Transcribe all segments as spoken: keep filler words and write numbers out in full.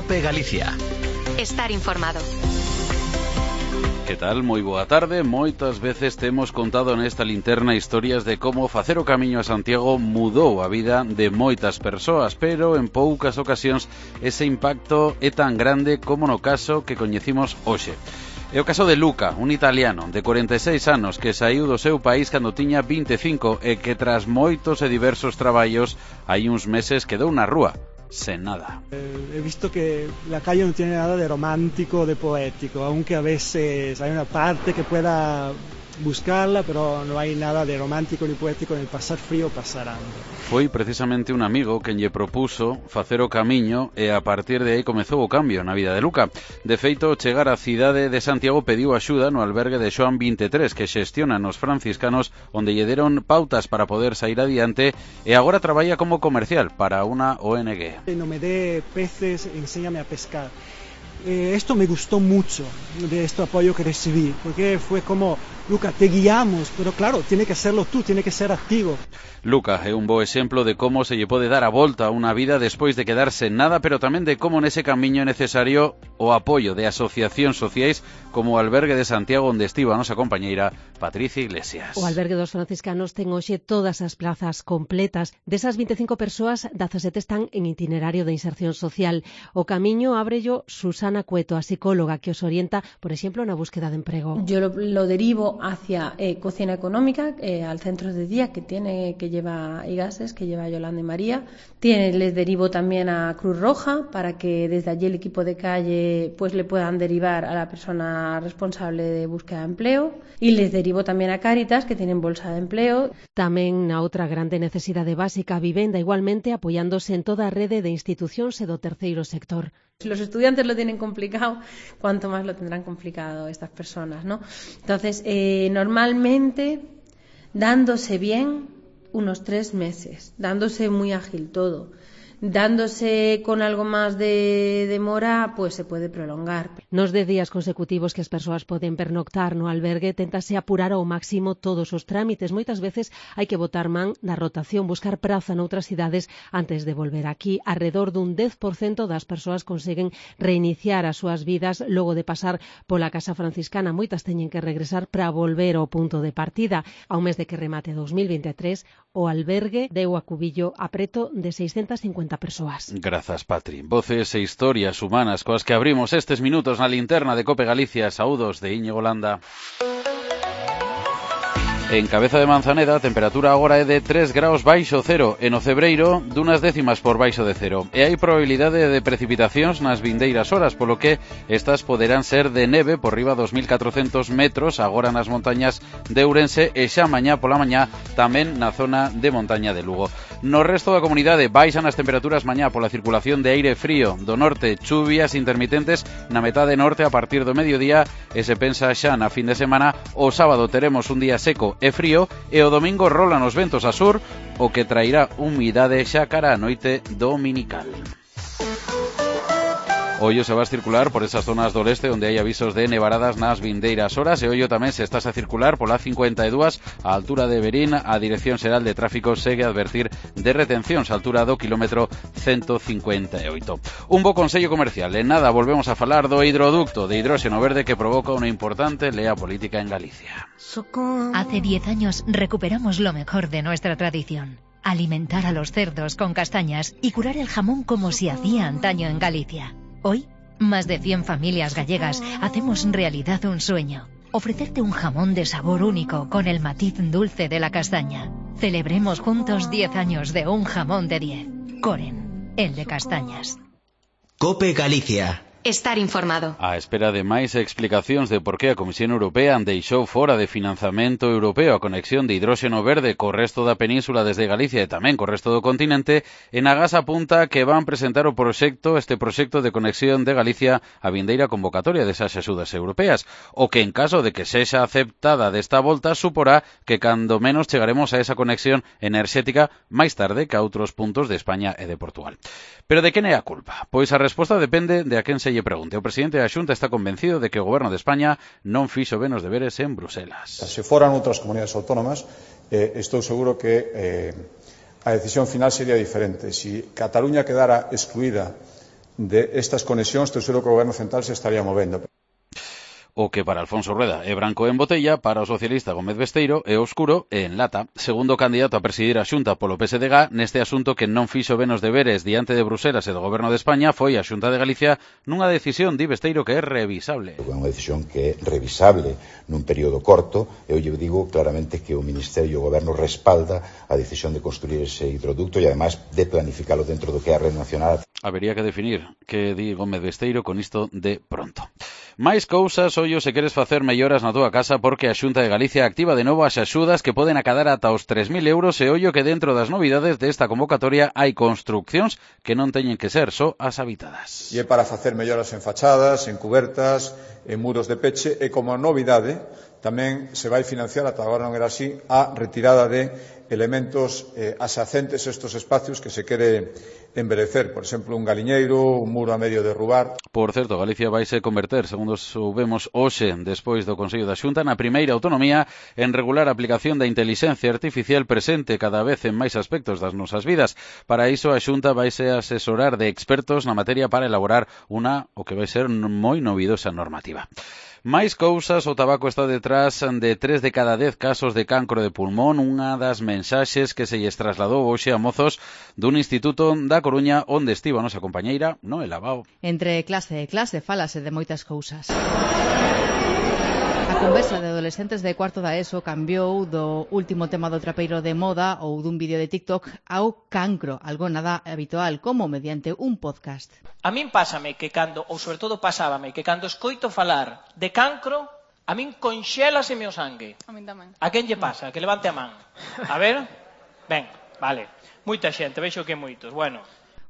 COPE Galicia. Estar informado. Que tal? Moi boa tarde. Moitas veces temos contado nesta linterna historias de como facer o camiño a Santiago mudou a vida de moitas persoas, pero en poucas ocasións ese impacto é tan grande como no caso que coñecimos hoxe. É o caso de Luca, un italiano de corenta e seis anos que saíu do seu país cando tiña vinte e cinco e que tras moitos e diversos traballos hai uns meses quedou na rúa, sen nada. Eh, he visto que la calle no tiene nada de romántico o de poético, aunque a veces hay una parte que pueda buscarla, pero no hay nada de romántico ni poético en el pasar frío o pasar hambre. Foi precisamente un amigo quen lle propuso facer o camiño e a partir de aí comezou o cambio na vida de Luca. De feito, chegar á cidade de Santiago pediu axuda no albergue de Xoán vinte e tres que xestionan os franciscanos, onde lle deron pautas para poder sair adiante e agora traballa como comercial para unha O N G. No me dé peces, enséñame a pescar. Eh, esto me gustó mucho de este apoyo que recibí, porque fue como, Luca, te guiamos, pero claro, tiene que serlo tú, tiene que ser activo. Luca é un bo exemplo de como se lle pode dar a volta a unha vida despois de quedarse en nada, pero tamén de como nese camiño é necesario o apoio de asociacións sociais como o Albergue de Santiago, onde estivo a nosa compañeira Patricia Iglesias. O Albergue dos Franciscanos ten hoxe todas as plazas completas. Desas vinte e cinco persoas, dezasete están en itinerario de inserción social. O camiño ábrello Susana Cueto, a psicóloga que os orienta, por exemplo, na búsqueda de emprego. Yo lo, lo derivo hacia eh, cocina económica, eh, al centro de día que tiene que lleva Igases, que lleva Yolanda y María. Tiene, les derivo también a Cruz Roja para que desde allí el equipo de calle pues le puedan derivar a la persona responsable de búsqueda de empleo, y les derivo también a Cáritas, que tienen bolsa de empleo. Tamén na outra grande necesidade básica, a vivenda, igualmente apoiándose en toda a rede de institucións e do terceiro sector. Si los estudiantes lo tienen complicado, cuánto más lo tendrán complicado estas personas, ¿no? Entonces, eh, normalmente, dándose bien, unos tres meses, dándose muy ágil todo. Dándose con algo máis de demora, pues se pode prolongar. Nos dez días consecutivos que as persoas poden pernoctar no albergue, téntase apurar ao máximo todos os trámites. Moitas veces hai que botar man da rotación, buscar praza noutras cidades antes de volver aquí. Arredor dun dez por cento das persoas conseguen reiniciar as súas vidas logo de pasar pola Casa Franciscana. Moitas teñen que regresar para volver ao punto de partida. Ao mes de que remate dous mil vinte e tres, o albergue deu a cubillo a preto de seiscentas cincuenta persoas. Grazas, Patri. Voces e historias humanas coas que abrimos estes minutos na linterna de COPE Galicia. Saúdos de Íñigo Landa. En Cabeza de Manzaneda a temperatura agora é de tres graus baixo cero e no Cebreiro dunas décimas por baixo de cero. E hai probabilidade de precipitacións nas vindeiras horas, polo que estas poderán ser de neve por riba dos mil catrocentos metros agora nas montañas de Ourense e xa mañá pola mañá tamén na zona de montaña de Lugo. No resto da comunidade baixan as temperaturas mañá pola circulación de aire frío do norte, chuvias intermitentes na metade norte a partir do mediodía e se pensa xa na fin de semana. O sábado teremos un día seco e frío e o domingo rolan os ventos a sur, o que trairá humidade xa cara a noite dominical. Ollo se vas circular por esas zonas do leste onde hai avisos de nevaradas nas vindeiras horas e ollo tamén se estás a circular pola cincuenta e dúas a altura de Verín. A Dirección Xeral de Tráfico segue a advertir de retencións a altura do kilómetro ciento cincuenta e oito. Un bo consello comercial. En nada volvemos a falar do hidroducto de hidróxeno verde que provoca unha importante lea política en Galicia. Hace diez años recuperamos lo mejor de nuestra tradición. Alimentar a los cerdos con castañas y curar el jamón como se hacía antaño en Galicia. Hoy, más de cien familias gallegas hacemos realidad un sueño. Ofrecerte un jamón de sabor único con el matiz dulce de la castaña. Celebremos juntos diez años de un jamón de diez. Coren, el de castañas. COPE Galicia. Estar informado. A espera de máis explicacións de por que a Comisión Europea deixou fora de financiamento europeo a conexión de hidróxeno verde co resto da península desde Galicia e tamén co resto do continente, Enagas apunta que van presentar o proxecto, este proxecto de conexión de Galicia a vindeira convocatoria desas axudas europeas, o que en caso de que sexa aceptada desta volta suporá que cando menos chegaremos a esa conexión enerxética máis tarde que a outros puntos de España e de Portugal. Pero de quen é a culpa? Pois a resposta depende de a quen se lle pregunte. O presidente da Xunta está convencido de que o Goberno de España non fixo ben os deberes en Bruselas. Se foran outras comunidades autónomas, eh, estou seguro que eh, a decisión final sería diferente. Si Cataluña quedara excluída de estas conexións, estou seguro que o Goberno Central se estaría movendo. O que para Alfonso Rueda é branco en botella, para o socialista Gómez Besteiro é oscuro e en lata. Segundo candidato a presidir a Xunta polo P S D G, neste asunto que non fixo ben os deberes diante de Bruselas e do Goberno de España foi a Xunta de Galicia nunha decisión, di Besteiro, que é revisable. É unha decisión que é revisable nun período corto. Eu lle digo claramente que o Ministerio e o Goberno respalda a decisión de construir ese hidroducto e ademais de planificalo dentro do que é a Red Nacional. Habería que definir que di Gómez Besteiro con isto de pronto. Máis cousas, ollo, se queres facer melloras na túa casa, porque a Xunta de Galicia activa de novo as axudas que poden acadar ata os tres mil euros, e ollo que dentro das novidades desta convocatoria hai construccións que non teñen que ser só as habitadas. E é para facer melloras en fachadas, en cubertas, en muros de peche, e como novidade tamén se vai financiar, ata agora non era así, a retirada de elementos eh, asacentes a estes espacios que se quere enverecer, por exemplo, un galiñeiro, un muro a medio derrubar. Por certo, Galicia vaise converter, segundo soubemos hoxe, despois do Consello da Xunta, na primeira autonomía en regular a aplicación da inteligencia artificial presente cada vez en máis aspectos das nosas vidas. Para iso, a Xunta vaise asesorar de expertos na materia para elaborar unha, o que vai ser moi novidosa normativa. Máis cousas, o tabaco está detrás de tres de cada dez casos de cancro de pulmón, unha das mensaxes que se lles trasladou hoxe a mozos dun instituto da Coruña onde estivo a nosa compañeira Noela Bao. Entre clase e clase falase de moitas cousas. A conversa de adolescentes de cuarto da ESO cambiou do último tema do trapeiro de moda ou dun vídeo de TikTok ao cancro, algo nada habitual, como mediante un podcast. A min pásame que cando, ou sobre todo pasábame, que cando escoito falar de cancro, a min conxélaseme o sangue. A min tamén. A quen lle pasa? Que levante a man. A ver? Ben, vale. Moita xente, vexo que moitos. Bueno.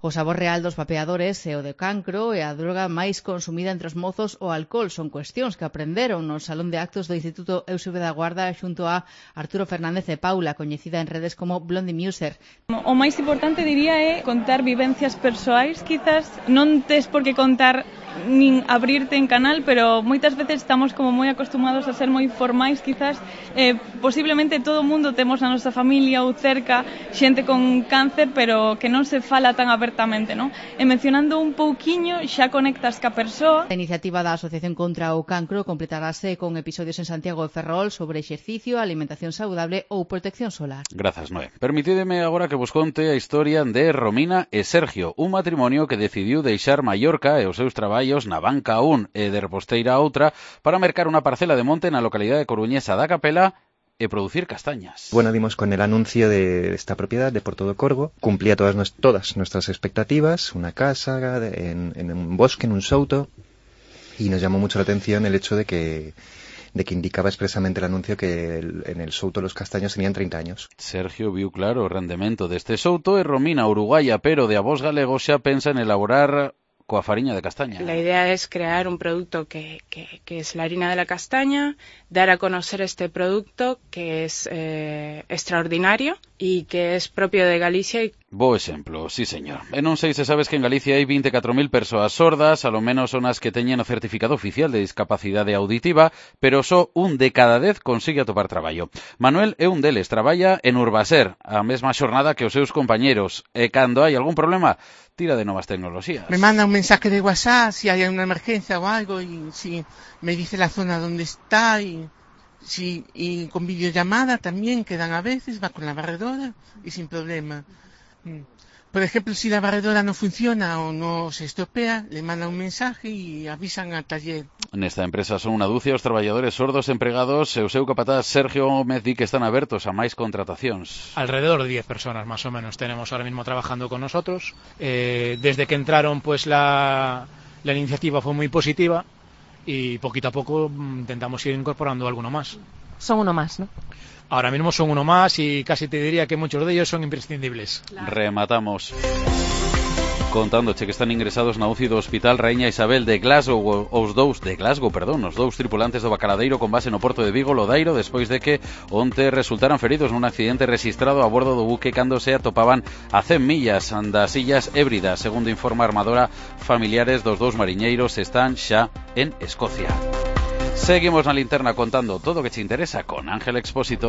O sabor real dos vapeadores e o de cancro e a droga máis consumida entre os mozos, o alcohol, son cuestións que aprenderon no Salón de Actos do Instituto Eusebio da Guarda xunto a Arturo Fernández e Paula, coñecida en redes como Blondie Muser. O máis importante, diría, é contar vivencias persoais, quizás non tes por que contar nin abrirte en canal, pero moitas veces estamos como moi acostumados a ser moi formais, quizás eh, posiblemente todo o mundo temos na nosa familia ou cerca xente con cáncer, pero que non se fala tan abertamente, non? E mencionando un pouquiño xa conectas ca persoa. A iniciativa da Asociación contra o Cancro completarase con episodios en Santiago de Ferrol sobre exercicio, alimentación saudable ou protección solar. Grazas, Noé. Permitideme agora que vos conte a historia de Romina e Sergio, un matrimonio que decidiu deixar Mallorca e os seus traballos na banca un e de reposteira a outra para mercar unha parcela de monte na localidade coruñesa da Capela e producir castañas. Bueno, dimos con el anuncio de esta propiedad de Porto do Corvo. Cumplía todas, todas nuestras expectativas, una casa en, en un bosque, en un souto, y nos llamó mucho la atención el hecho de que de que indicaba expresamente el anuncio que el, en el souto los castaños tenían treinta años. Sergio viu claro o rendemento deste souto e Romina, uruguaya pero de avós galegos, xa pensa en elaborar coa fariña de castaña. La idea es crear un producto que, que, que es la harina de la castaña, dar a conocer este producto que es eh, extraordinario y que es propio de Galicia. Y... Bo exemplo, sí señor. E non sei se sabes que en Galicia hai vinte e catro mil persoas sordas, a lo menos son as que teñen o certificado oficial de discapacidade auditiva, pero só un de cada dez consigue atopar traballo. Manuel é un deles, traballa en Urbaser, a mesma xornada que os seus compañeros, e cando hai algún problema, tira de novas tecnoloxías. Me manda un mensaje de WhatsApp si hay una emergencia o algo, y si me dice la zona donde está, y... Sí, y con videollamada también quedan a veces, va con la barredora y sin problema. Por ejemplo, si la barredora no funciona o no se estropea, le mandan un mensaje y avisan al taller. Nesta empresa son unha dúcia os traballadores sordos empregados e o seu capataz Sergio Gómez di que están abertos a máis contratacións. Alrededor de diez personas más o menos tenemos ahora mismo trabajando con nosotros. Eh, desde que entraron, pues la, la iniciativa fue muy positiva. Y poquito a poco intentamos ir incorporando alguno más. Son uno más, ¿no? Ahora mismo son uno más y casi te diría que muchos de ellos son imprescindibles. Claro. Rematamos contándoche que están ingresados na U C I do Hospital Raíña Isabel de Glasgow os dous de Glasgow, perdón, os dous tripulantes do Bacaladeiro con base no porto de Vigo, Lodairo, despois de que onte resultaran feridos nun accidente rexistrado a bordo do buque cando se atopaban a cen millas das Illas Hébridas. Segundo informa a Armadora, familiares dos dous mariñeiros están xa en Escocia. Seguimos na linterna contando todo o que te interesa con Ángel Expósito.